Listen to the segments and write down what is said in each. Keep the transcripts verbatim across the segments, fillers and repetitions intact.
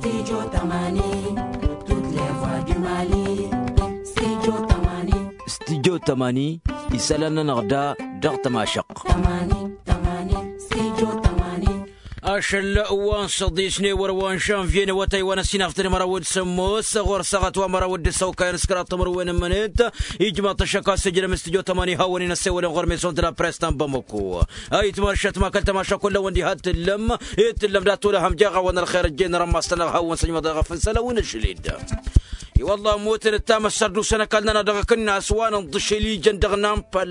Studio tămani, toutes les voix du Mali. Studio tămani. Studio tămani, isălan-nănăɣ da dăɣ-tămašăɣt. Tămani, tămani, studio tămani. Ašăl wa n-săḍis n-ewăr wa n-žănvye n-awătay wa n-ăssinaf tănămăraw d-sămmos ɣur-săɣăt wa măraw d-săwkayăn s-kăraḍ timǝrwen n-mănet. Ijmaḍ-t ăššăk a-s ijrăm studio tămani hawăn-in ăssewălăn ɣur-maison de la presse ta n-bamăko. Ayǝtma ăššătma kăl-tămaša kull a-wen diha t-tǝllăm. Itǝllăm dat-olăhăm jeɣ-awăn ălxer ăjjeen rămmas-tăn-dăɣ hawăn-săjmăḍ eɣăf n-isălan wi n-ašăl-dd. I-wălla ămmutăn ǝttam ăssărdusăn ăkall-nănăɣ dăɣ-akǝnnas wa n-inḍǝšel ijăn dăɣ-nampa.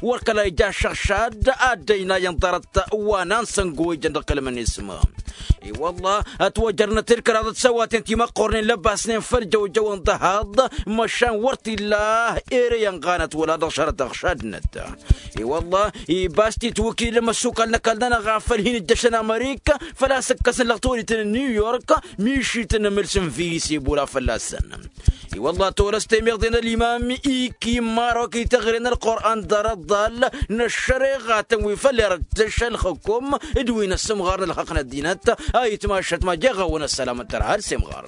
Wăr kăla ija ašăɣšad ad-dd-ăynayăn ḍarăt wa n-ansăngo ijăn dăɣ-kăl-mănisma. I-wălla ătwăjărnăt-dd kăraḍăt săwaten timăqqornen lăbasnen făll-jăwjăw n-dăhaḍ. Măšan wăr t-illa ere inɣanăt wăla dăɣ-šarăt ăɣšadnăt. I-wălla ibas titwǝkil n-imăssukal n-ăkall-nănăɣ afăl hin-ǝjjăšăn amărik făl-a-s ǝkkăsăn lăɣ tiwăditen n-new york. Mišităn n-amǝls n-visi bula fălla-săn. I-wălla tolăs temeḍe n-ălimam iki n-marok ităɣre n-ălqur'an ḍarăt ḍal n-ăššăreɣatăn wi făll-irtǝš ălxǝkum d-wi n-ăssǝmɣar n-ălxăqq n-ăddinăt. Ayǝtma ăššătma jeɣ-awăn ăssălam n-tărha ălsemɣar.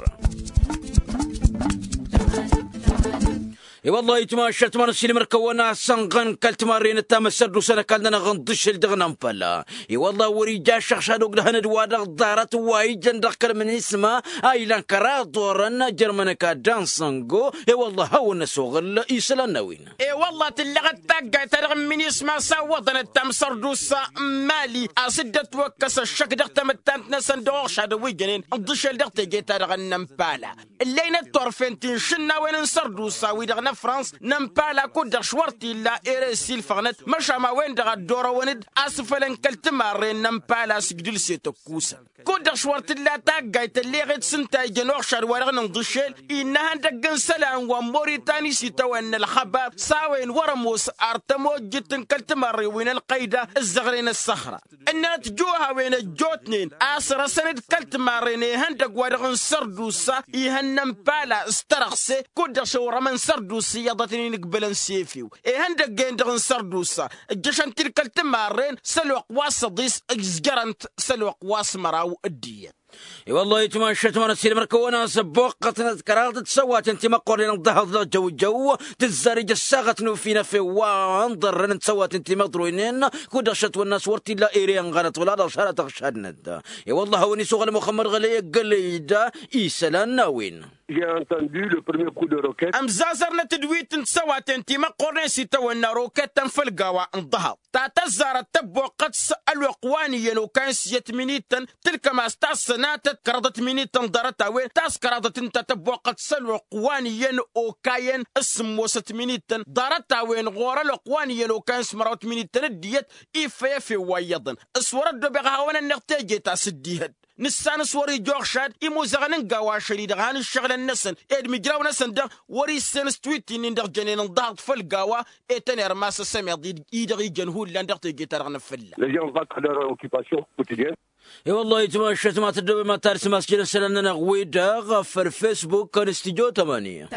I-wălla ayǝtma ăššătma n-ăssiilmăr-kăwăn asănɣăn kăl-timarren ǝttam ăssărdusăn ăkall-nănăɣ n-ḍǝšel dăɣ-nănpăla. I-wălla wăr-ija ašăɣšad ogdăhăn d-wa-dăɣ ḍarăt wa ijăn dăɣ-kăl-minisma a ilan kăraḍ orăn jărmăn ăkall d-ansăngo. I-wălla hawăn-năsoɣǝl isălan n-a-wen. I-wălla tǝllăɣăt taggayt-ta-dăɣ n-minisma s-awwăḍăn ǝttam sărdusa n-mali a-s dd-ătwăkkăs ăššăk dăɣ-tamǝttant-năsăn dăɣ-uɣšadăn wi jănen ǝḍǝšel dăɣ-teje-ta-dăɣ n-inămpala. Ǝllăynăt turfen ti n-išǝnnawen n-sărdusa-wi-dăɣ n-afrans n-inpala kud-dăɣ š-wăr t-illa ere ăssiilfăɣnăt măšan a-wen-dăɣ a dd-orăwăn-dd asǝfălăn kăl-timarren n-inpala s-ǝjdǝlset ăkkusăn. Kud-dăɣ š-wăr t-illa taggayt ălleɣet s-ǝnta ijăn uɣšad-wa-dăɣ n-inḍǝšel. Innă ihăndăgg n-isălan wa n-moritani s-itawănna ălxăbar s-a-wen wăr-ămoos ar tămojjit n-kăl-timarren wi n-ălqăyda ǝzzăɣren ăssăxra. Ǝnnănăt juhawen ăjjootnen a-s răsăn-dd kăl-timarren ihăndăgg-wa-dăɣ n-sărdusa ihănnăn pala s-tărăɣse. Kud-dăɣ šăwrămăn sărdusa iyyăḍătnen inǝgbălăn s-efew ihăndăgg-en-dăɣ n-sărdusa ǝjjăšăn-t-dd kăl-timarren s-ălwăqq wa s-ăḍis ǝzjărăn-t s-ălwăqq wa s-măraw. D-iyyăt. I-wăllah itmašat ma n-ăssiilmăr-kăwăn-as ăbboqqătnăt kăraḍăt tisăwaten timăqqornen n-ḍahăḍ dăɣ-jăwjăw. Tǝzzar ija ăssaɣăt n-ufinăf i-wa ǝnḍărrăn n-tisăwaten timăḍroynen. Kud-dăɣ šătwănna a-s wăr t-illa ere ănɣanăt wăla dăɣ-šarăt ăɣšadnăt. I-wăllah a-wen isuɣǝl muxămmăd ɣălăy ăggălăy-dd isălan n-a-wen. J'ai entendu le premier coup de roquette. Ămzazărnăt-dd wi t-n-tisăwaten timăqqornen s-itawănna rokettăn făll-gawa n-ḍahăḍ ta tăzzarăt tăbboqqăt s-ălwăqq wa n-iyyăn okayăn s-iyyăt minităn. Tǝlkăm a-s tassănatăt kăraḍăt minităn ḍarăt-a-wen ta s-kăraḍăt ǝnta tăbboqqăt s-ălwăqq wa n-iyyăn okayăn s-sǝmmosăt minităn ḍarăt-a-wen ɣur-ălwăqq wa n-iyyăn okayăn s-mărawăt minităn. D-iyyăt iffăy efew wa iyyăḍăn. S-wăr-ăddoobeɣ ad-hawăn-ănneɣ teje ta s-dd-ihădd nǝssan s-wăr-ija uɣšad imuzăɣăn n-gawa ašăl-i-dăɣ han ǝššăɣǝlăn-năsăn ed mǝjraw-năsăn-dăɣ. Wăr-issen s-twitti-nin-dăɣ jănen ǝnḍahăḍ făll-gawa. Etăn irmas ăsămeḍ-i-dăɣ ijăn hullan dăɣ-teje-ta-dăɣ n-afǝlla. Les gens vont à leur occupation quotidienne. I-wăllah itmašat ma tăddobem ad-talsǝm a-s jăn isălan-nănăɣ-wi-dăɣ făll-facebook n-studio tămani.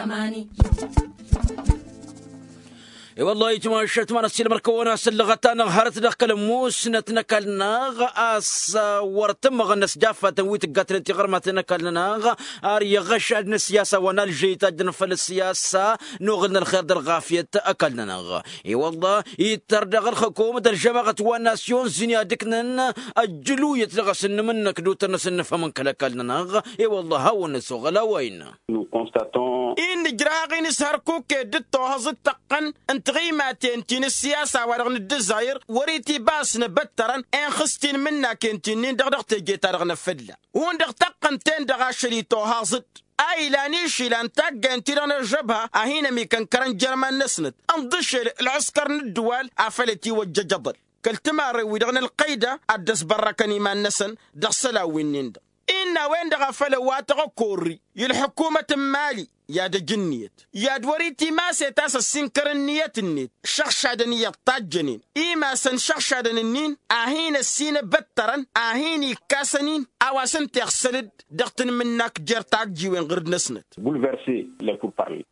I-wăllah itmašat ma n-ăssiilmăr-kăwăn-as ǝllăɣăt-anăɣ hărăt dăɣ-kăl-musnăt n-ăkall-nănăɣ a-s wăr t-ǝmmăɣăn n-ăsjaffatăn wi tǝggatnen tiɣărmaten n-ăkall-nănăɣ. Ar iɣăšad n-ăssiyasa wa n-alžăy tajjăn făll-ăssiyasa n-oɣǝl n-ălxer d-ălɣafyăt ăkall-nănăɣ. I-wăllah ittăr daɣ ălxăkum d-ălžămaɣăt wa n-nasyon zǝnni ad-ǝknăn ăjjǝluyăt dăɣ-asǝnnǝm-năk d-utăr n-asǝnnǝfăm n-kăl-ăkall-nănăɣ. I-wăllah hawăn-năsoɣăl a-wa innă. Nous constatons. Innă ǝjrăhaɣ-in s-hărkuk ed dd-tohăẓ d-tăqqăn n-tiɣimaten ti n-ăssiyasa wa dăɣ-nǝddǝzayăr wăr-itibas n-ebăttărăn inxǝs tinmǝnnaken ti-nin-dăɣ dăɣ-teje-ta-dăɣ n-afǝlla hundăɣ tăqqăn-ten-dăɣ ašăl-i tohăẓ-dd. A ilan išilan taggayen-ti-dăɣ n-ăžžăbha a hin-ămikăn kărăn jer-iman-năsnăt ǝnḍǝšel ălɣǝskăr n-ǝddǝwal afăl itiwăjjăj aḍăl kăl-timarren-wi-dăɣ n-ălqăyda ad-dd-ăsbărrăkăn iman-năsăn. Dăɣ-isălan wi-nin-dăɣ innă a-wen-dăɣ a făl ăwwatăɣ ăkorri i-ălḥǝkumăt n-imali i-ad-ăj ǝnniyăt i-ad-wăr-itimaset a-s ăssinkăr ǝnniyăt-net. Šăɣšadăn iyyăḍ tajjănen imasăn šăɣšadăn ǝnnin a hin-ăssin ebăttărăn a hin-ikkasăn-in a-wa s-ǝnta iɣsăl-dd dăɣ-tanmǝnnakt jer-tajjiwen ɣǝr-dd-năsnăt. Bouleversé les pourparlers.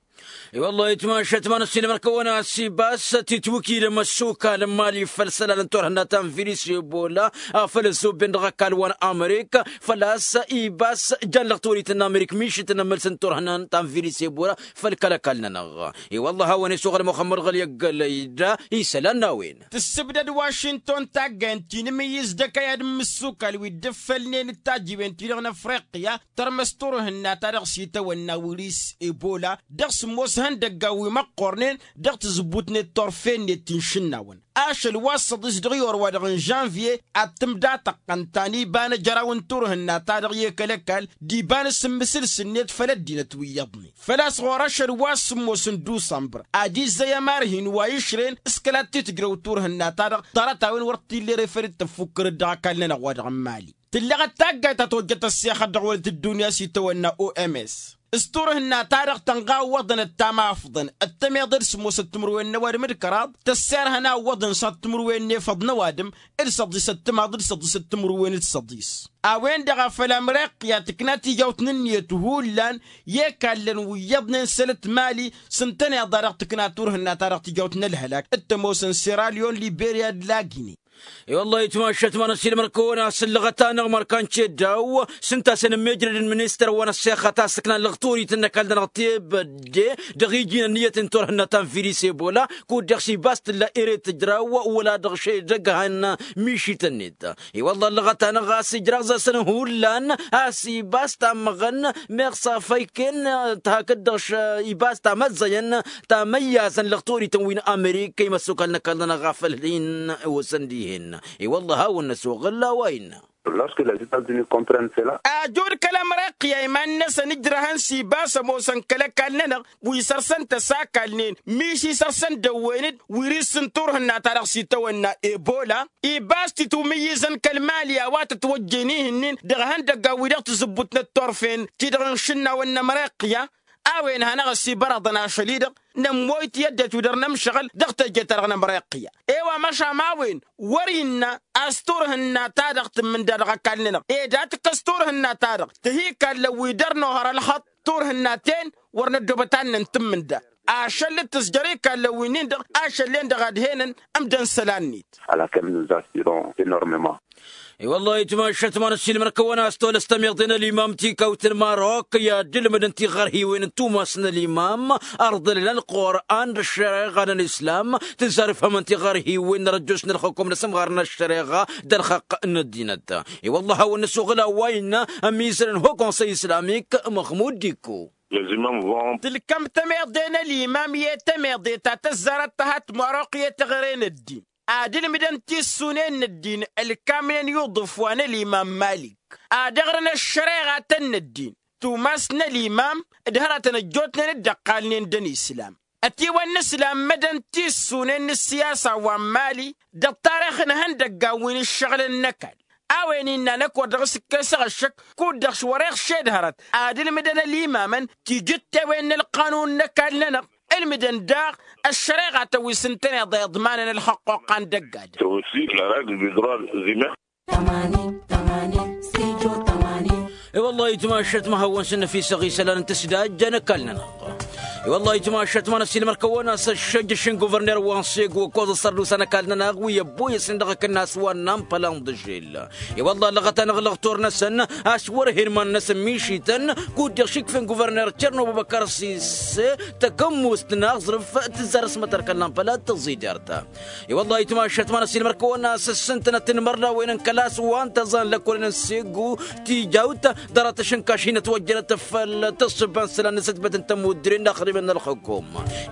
I-wăllah itmašat ma n-ăssiilmăr-kăwăn-as ibas titwǝkidăm ăssukal n-imali făll-isălan n-turhǝnna ta n-virus ebola, afăl ăzzobben dăɣ-ăkall wa n-amerika făl-a-s ibas jan lăɣ tolit n-amerik mišǝt n-ămmălsăn turhǝnna ta n-virus ebola. Făll-kăl-ăkall-nănăɣ i-wăllah a-wen isuɣăl muxămmăd ɣăl i-ăggălăy da isălan n-a-wen. Tǝssǝbdăd wašington taggayăn ti n-imǝyyǝz d-ăkăyad n-imǝssukal wi dd-ǝffălnen d-tajiwen-ti-dăɣ n-afriqya tărmăs turhǝnna-ta-dăɣ s-itawănna wiris ebola dăɣ-sǝmmos ihăndăggan wi măqqornen dăɣ-tǝzǝbbut-net turfen-net ti n-išǝnnawăn. Ašăl wa s-săḍis dăɣ-iwăr-wa-dăɣ n-žănvye ad-tǝmdatăɣ ănta n-iba n-ejăraw n-turhǝnna-ta-dăɣ i-kăl-ăkall d-iba n-asǝmmǝsǝls-net făll-ăddinăt wi iyyăḍnen făl-a-s ɣur-ašăl wa s-sǝmmos n-dusămbăr ad-izzăy ămarhin wa išren s-kăla t-tǝjrăw turhǝnna-ta-dăɣ. Ḍarăt-a-wen wăr t-illa ere făll-dd-tăffukkărăt dăɣ-ăkall-nănăɣ wa dăɣ-n mali tǝllăɣăt taggayt ta tojjăt ăssexăt dăɣ-wălăt ăddunya s-itawănna oms. S-turhǝnna-ta-dăɣ tănɣa ǝwwăḍăn ăttamafḍăn ăttămeḍe d-sǝmmosăt timǝrwen n-ăwadǝm d-kăraḍ tăsserhăn a ǝwwăḍăn s-ad-timǝrwen n-efăḍ n-ăwadǝm d-săḍisăt timaḍ d-săḍisăt timǝrwen d-săḍis. A-wen-dăɣ a făl ămreqq i-ad-tǝkna tijawt n-ǝnniyăt hullan i-ekallăn wi iyyăḍnen săl-t mali s-ǝntăneḍ-a-dăɣ tǝkna turhǝnna-ta-dăɣ tijawt n-ălhălak d-tămoosăn seralion liberya d-lagine. I-wăllah itmašat ma n-ăssiilmăr-kăwăn-as ǝllăɣăt-anăɣ mărkan ceddaw s-ǝnta a-s ănămmejrăd n-ministăr wa n-ăssexăt a-s ǝknan lăɣturit n-ăkall-nănăɣ tebădde dăɣ-iji n-ǝnniyăt n-turhǝnna ta n-virus ebola kud-dăɣ s-ibas tǝlla ere tǝjraw wăla dăɣ-šedăgg han mišităn-net. I-wăllah ǝllăɣăt-anăɣ a-s ijraẓ-asăn hullan a-s ibas tammăɣăn meɣ s-afăyken hakd-dăɣ ibas tamăzzăyăn tamăyyazăn lăɣturităn wi n-amerika i-măssukal n-ăkall-nănăɣ ɣaf ălhin osăn dihen. I-wăllah hawăn-năsoɣăl a-wa innă. Lorske lez itazini komprăn sela. Ajud kăl-ămreqq i-a iman-năsăn ǝjrăhăn s-ibas ămoosăn kăl-ăkall-nănăɣ wi săr-săn tăsakalnen miši săr-săn dăwwen-dd wi ri-s n-turhǝnna-ta-dăɣ s-itawănna ebola. Ibas titumǝyyǝzăn kăl-mali a-wa tătwăjjen ihǝnnin dăɣ-ihăndăggan wi dăɣ-tǝzǝbbut n-ăttorfen ti-dăɣ n-išǝnnawăn n-ămreqq i-a a-wen hanăɣ-ăsibărăḍăn ašăl-i-dăɣ nămmoy tiyyăddăt wi dăr-nămšăɣǝl dăɣ-teje-ta-dăɣ n-ămreqq i-a. I-wa măšan a-wen wăr-innă a-s turhǝnna-ta-dăɣ tǝmmǝnda dăɣ-ăkall-nănăɣ ed a tǝkkăs turhǝnna-ta-dăɣ tǝhi ikallăn wi dăr-nohăr ălxăṭṭ turhǝnna-ten wăr năddoobăt annăn tǝmmǝnda. Ašăl d-tǝzjăr ikallăn wi-nin-dăɣ ašăl-en-dăɣ ad-henăn ǝmdăn isălan-net. Ala kăl-nǝzzaš tidon enormement. I-wăllah itmašat ma n-ăssiilmăr-kăwăn a-s tolăs tămiḍe n-ălimam tikawt n-marok i-ad-ǝlmǝdăn tiɣărhiwen n-tumas n-ălimam ărḍălăn ălqur'an d-ăššăreɣa n-ălislam tǝzzar ifhămăn tiɣărhiwen n-răjjus n-ălxukum n-asǝmɣar n-ăššăreɣa d-ălxăqq n-ăddinăt. I-wăllah a hawăn-năsoɣǝl a-wa innă ămizăl n-ho konsăy islamik măxmud dikko. Tǝlkăm tămeḍe n-ălimam i-tămeḍe ta tăzzarăt tăhat maroq i-teɣăre n-ăddin ad-ǝlmǝdăn tissunen n-ăddin ălkamnen i-uḍǝf wa n-ălimam malik ad-ăɣrǝn ăššăreɣatăn n-ăddin tumas n-ălimam d-hărătăn ăjjootnen d-ăqqalnen d-ănislam. Ătiwănnăslam mădăn tissunen n-ǝssiyasa wa n-mali d-ăṭṭarix n-ihăndăggan wi n-ǝššăɣǝlăn n-ăkall. A-wen innă năkk wăr dăɣ-s ǝkkesăɣ ăššăk kud-dăɣ s-wăr-e ăɣšed hărăt ad-ǝlmǝdăn ălimamăn tijǝttewen n-ălqanun n-ăkall-nănăɣ ǝlmǝdăn daɣ ăššăreɣatăn wi s-ǝntăneḍ a iḍmanăn ălxăqquqqa n-dăgg-adǝm. I-wăllah itmašat ma hawăn-sǝnnăfisăɣ isălan n-tǝsdajja n-ăkall-nănăɣ. I-wăllah itmašat ma n-ăssiilmăr-kăwăn a-s ăššăjjăš n-guvărner wa n-sego ǝkkoẓ ăssărdusa n-ăkall-nănăɣ wi ăbboyăsnen dăɣ-akǝnnas wa n-ampăla n-iḍǝžel. I-wăllah ăllăɣăt-anăɣ lăɣtor-năsăn a-s wăr-hen iman-năsăn mišităn kud-dăɣ šikfen guvărner cerno băbăkăr sise tăkămmust n-aẓrǝf tǝzzar s-mătărkăl n-ampăla d-tăẓidert. I-wăllah itmašat ma n-ăssiilmăr-kăwăn a-s ǝssǝntănăt n-imărnawen n-kăla a-s wa n-tăẓan lăkkolăn n-segu tijawt ḍarăt ašǝnkaš hin-ătwăjjănăt făll-tǝssǝba n-isălan n-asǝtbăt n-tămuddǝre n-inaxdimăn n-ălxukum.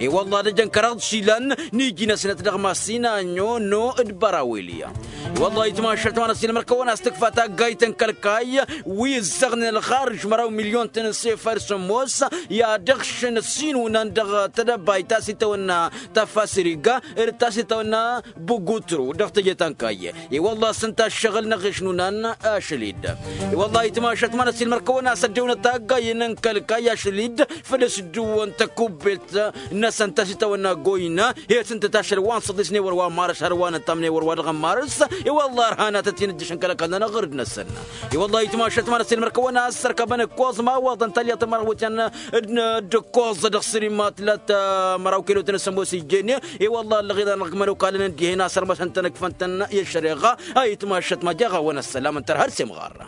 I-wăllah ad-ăjăn kăraḍ išilan n-iji-năsnăt dăɣ-masinanyo no d-bărawilya. I-wăllah itmašat ma n-ăssiilmăr-kăwăn a-s tǝkfa taggayt n-kăl-kayy wi ǝzzăɣnen ălxarǝž măraw milyon-tăn n-sefar sǝmmos i-ad-ǝɣšǝn ăssinunan dăɣ-tedăbayt ta s-itawănna tafasriga d-ta s-itawănna bugutru dăɣ-teje ta n-kayy. I-wăllah s-ǝnta ăššăɣǝl n-aɣeš n-unan ašăl-dd. I-wăllah itmašat ma n-ăssiilmăr-kăwăn a-s ăddewnăt taggayen n-kăl-kayy ašăl-dd făl s-dd-wăn tăk kubbelt-năsăn ta s-itawănna goyna. He-tǝntăt ašăl wa n-săḍisne wăr wa n-marăs har wa n-ăttamne wăr wa dăɣ-ămmarăs. I-wălla ărhanatăt-in ǝjjăšăn kăl-ăkall-nănăɣ ɣǝrǝd-năsăn. I-wălla itmašăt ma n-ăssiilmăr-kăwăn a ăssărkăbăn ǝkkoẓ ma ǝwwăḍăn talyaḍt n-mărhăwătyan d-ǝkkoẓ dăɣ-săr-i ma tǝlat măraw kelotăn s-ămoos ijjene. I-wălla ăllăɣeḍ-anăɣ dăɣ-imănokalăn ǝndihen a sărmăsăn-tăn ǝkfăn-tăn i-ăššăreɣa. A itmašăt ma jeɣ-awăn ăssălam ǝntăr har s-imɣarra.